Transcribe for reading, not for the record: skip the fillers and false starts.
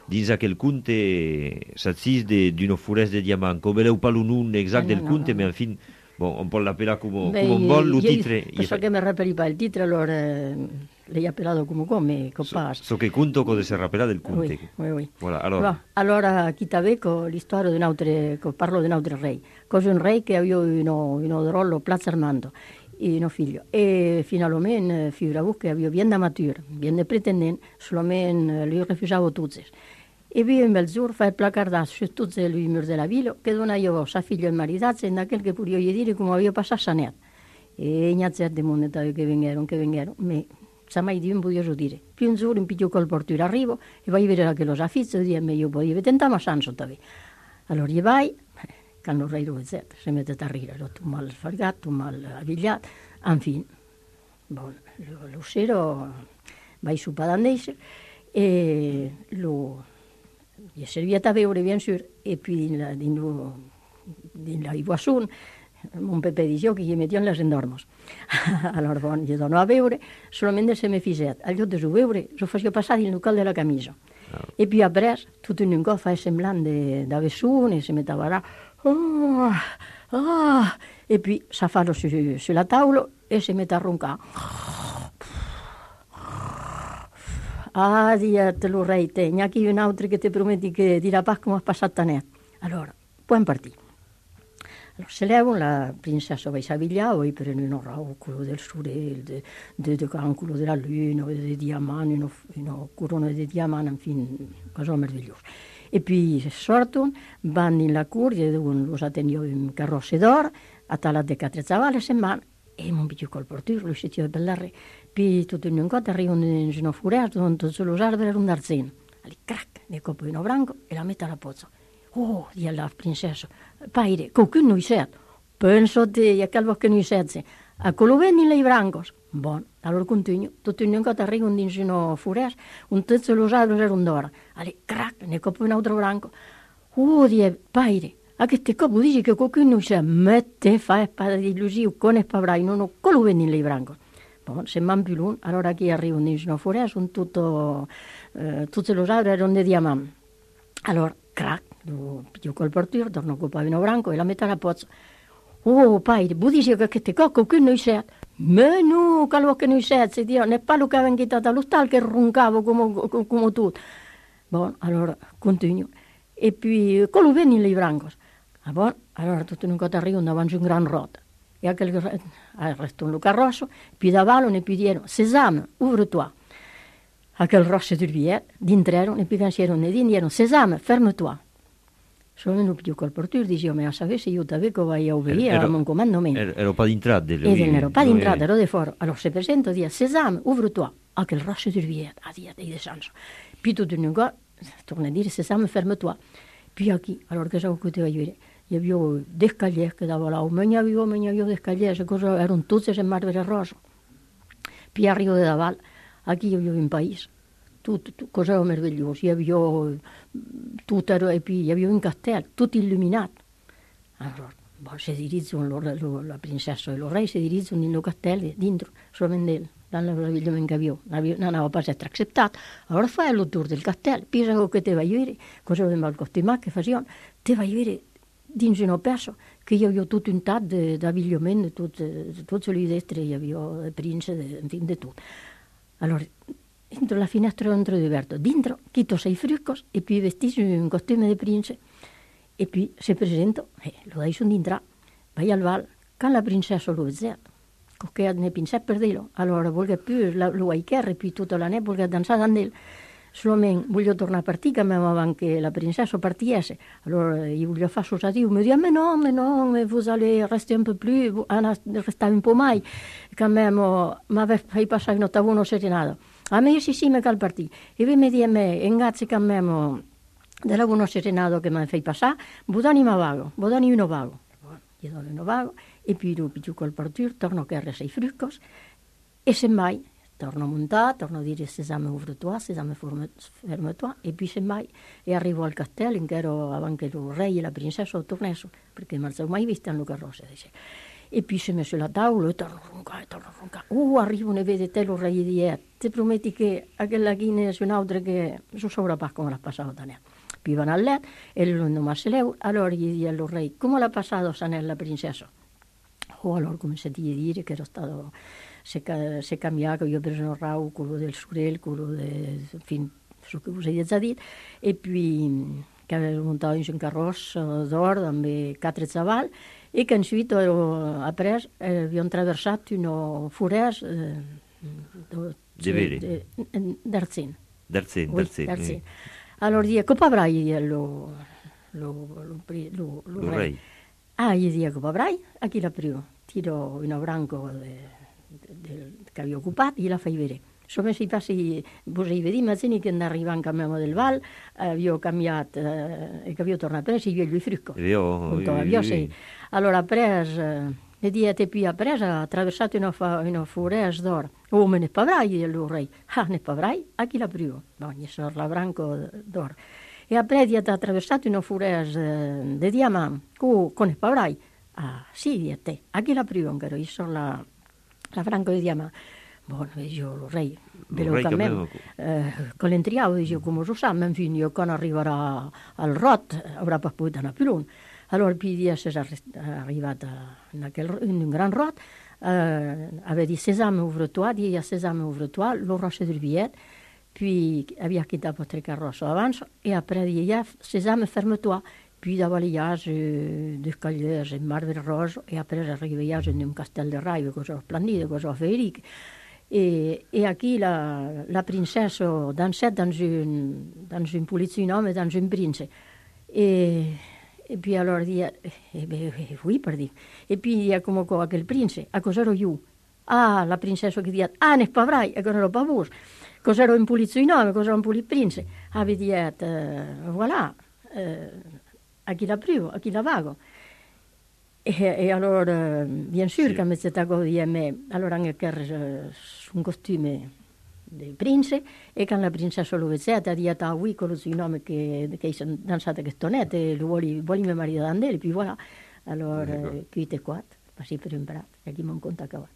dins aquel conte s'assiste d'una foresta de diamant. Com veleu pas lo nom exact del conte, mais en fin, bon, on pot l'appelar como on vol, lo titre. So che mi rappelli il titolo, allora l'hai appellato come passa. So che conto cosa si rappella del conte. Oui. Voilà, allora chi t'aveco l'istoria di un altro, parlo di un altro re. Cosa un re che aveva un rollo Plaza Armando, e un figlio. E finalmente, figuravo che aveva bien da matura, bien da pretendente, solamente lui refusava tutti. E vi in bel giorno fa il placardato su tutti i muri della villa, che dona io sa figlio e maritato, e da quel che pure io gli dire come aveva passato Sanet. E non c'è di mondo che vengono, ma sa mai di un podio dire. Più un giorno in piglio col portiere arrivo e vai a vedere che lo sa fizzo e dice, io potevo tentare, ma sanno da allora gli vai, che hanno re rozzetta, si mette a ridere, tu mal sfargato, mal avvigliato, infine, bon, lo sero vai su Padandese e gli è servita a bere bien sûr, e poi in la Iguazun, un Pepe dice che gli mettiamo les endormos. Allora, bon, gli dono a beure, solamente se mi fiset. Al lloc de su beure, lo faccio passare il nucal de la camisa. E poi après, tutto in un cop fa semblant d'haver sun, e se mette a barrar. E poi sa farlo sulla tavola e si mette a roncar. Te lo rei te, n'è chi un altro che ti prometti che dirà pas come ha passato net. Allora, puoi partire. Allora, se leva la princessa vai s'avvigliare, poi per un oracolo del sole, del cancolo della luna, dei diamanti, una corona di diamanti, infine, cosa meravigliosa. E poi sortono, vanno in la curia, dove lo attendiamo in carrozze d'oro, a tala de 4 cavalli se mano, e non più col portiere, lui si tira per la re. Poi tutto in un coto arrivano in una foresta, dove tutti gli alberi erano d'arzeno. Allora, crac, ne copro in branco e la mette alla pozza. Oh, dice la princessa, paire, qualcuno non c'è. Penso te, a calvo che non c'è. A quello venne in brancos. Buon, allora continuo. Tutto in un coto arrivano in una foresta, tutti gli alberi erano d'oro. Allora, crac, ne copro in un altro branco. Oh, dice, paire, a che te copo dici che qualcuno non c'è. Mette, fa spada di illusione, con e pavrai, non ho quello venne in brancos. Bon, se man più lungo, allora che arrivano in una foresta, tutti gli alberi erano di diamanti. Allora, crac, più col portiere, torno col pavino branco e la metà alla pozza. Oh, paire, bu dici che te cocco qui noi c'è. Ma no, calvo che noi c'è, Dio, ne parlo che aveva chiamato all'ostal che roncavo come tu. Bon, allora, continuo. E poi, quello venne in brancos. Ah, bon, allora tutto in un coto arrivano davanti a un gran rota. E aquel restò un carrosso, puis d'avalo ne puis dicono, Sesame, ouvre-toi. Aquel rosso del biet, d'intrero, ne puis pensiero ne dicono, Sesame, ferme-toi. Sono venuto più col portiere, dicevo, ma sapessi io t'avevo vai a obbedire a un comandamento. Ero pas d'entrada. Ero pas d'entrada, ero di fuori. Allora se presento, dice, Sesame, ouvre-toi. Aquel rosso del biet, di descenso. Puis tutto in un go, torna a dire, Sesame, ferme-toi. Puis qui, allora che so che ti voglio dire? Hi havia des callers que davant là, me n'hi havia des callers, erano tutti en marbre rosa. Puis arrivo de davant, aquí hi havia un país, tot cosa meravellosa, hi havia tot, e puis hi havia un castell, tot il·luminat. Allora, se dirigono, la princessa e il re si dirigono in un castello dentro, solamente ell, dans la meraviglia che aveva, non aveva pas essere acceptat. Allora fai il tour del castello, pensa che te vai a vedere, cosa aveva il costimat che facevano, te vai a vedere dins una peça que hi havia tot un tat d'avillament, de tots els destres, hi havia de prince, de tot. Allora, dentro la finestra entro diverto, dentro quito 6 fruscos e poi vestiti in un costume de prince e poi si presenta, lo dai sono dintra, vai al val, quand la princessa lo vede, che ne pinset per dirlo, allora volga più lo aicherre, poi tutta la neve volga danzare amb ell. Solamente voglio tornare a partire, che avevamo che la princessa partiesse. Allora io voglio fare associativo, mi dice, ma no, vous allez rester un po' più, restare un po' mai, che mi aveva fatto passare un ottavo serenato. A me sì, mi cal partire. E poi mi dice, grazie che mi della buona serenato che mi ha fatto passare, budani ma vago, budani uno vago. Io do uno vago, e poi dopo giù col partire, torno a carre 6 fruscos, e semmai, torno a montare, torno a dire Sesame ouvre-toi, Sesame ferme-toi, e poi semmai e arrivo al castello in che ero anche il re e la princessa tornassero, perché non avevo mai visto in carrozza. e poi si è messo la tavola e torna a roncare. Arrivano e vede te lo re di ti prometti che quella china è un'altra che non so come l'ha passato da ne. Poi vanno a letto e lui ma se leu, allora gli dice al re, come l'ha passato Sanella princessa? Allora come si dice dire che era stato, si è cambiato, io ho preso un rau, quello del surel, quello del, fin, so che usa di dire, e poi che aveva montato in un carrozzo d'oro, amb 4 cavalli, e che subito après abbiamo attraversato una foresta d'Arzin. D'Arzin. Allora dice, come avrai lo re? Gli dice, come avrai? A chi l'ha preso? Tiro in un branco che avevo occupato e la fai vedere. Insomma, si passi, potevi vedere, ma se che arrivava in cammino del Val, avevo cambiato, e che avevo tornato a prendere, io gli fricco. Allora, preso, le diete più ha preso, ha attraversato una foresta d'oro. Oh, me ne pavrai, allora, ne pavrai? A chi l'ha preso? Ogni sor la branco d'oro. E après ha attraversato una foresta di diamanti. Con ne pavrai? Ah, sì, di te. A chi l'ha preso? Io sono la branco di diamanti. Buono, io lo re, con l'entriavo, dicevo, come lo sa, ma infine io quando arriverà al Rot, avrà poi da una pilone. Allora, poi di essere arrivata in un gran Rot, aveva dit, sesame, ouvre-toi, dit, sesame, ouvre-toi, lo roche del billet, puis aveva quitté 3 carrosses avanti, et après, dit, sesame, ferme-toi. Puis da balayage de cagliers et marbre rose, et après, arrivai in un castel de Rai, cosa splendide, cosa feriche. Et aquí la princesse dansait dans une politique homme et dans une prince. Et puis alors dit, oui, per dire. Et puis il y a come quoi aquel prince, a cos'ero io? Ah, la princessa che dice, ne spavrai, e cos'ero pavus. Cos'ero in politique homme, cos'ero in politique prince. Ave dit, voilà, a chi la privo, a chi la vago. E allora, bien sûr, che mi è stato di me, allora anche un costume del prince, e quando la princessa lo vedeva, di a lui con il nome che sono danzate che stonette, vuole mio marito d'andare, poi voilà, allora, qui te qua, passi per imparare, e chi mi ha contato.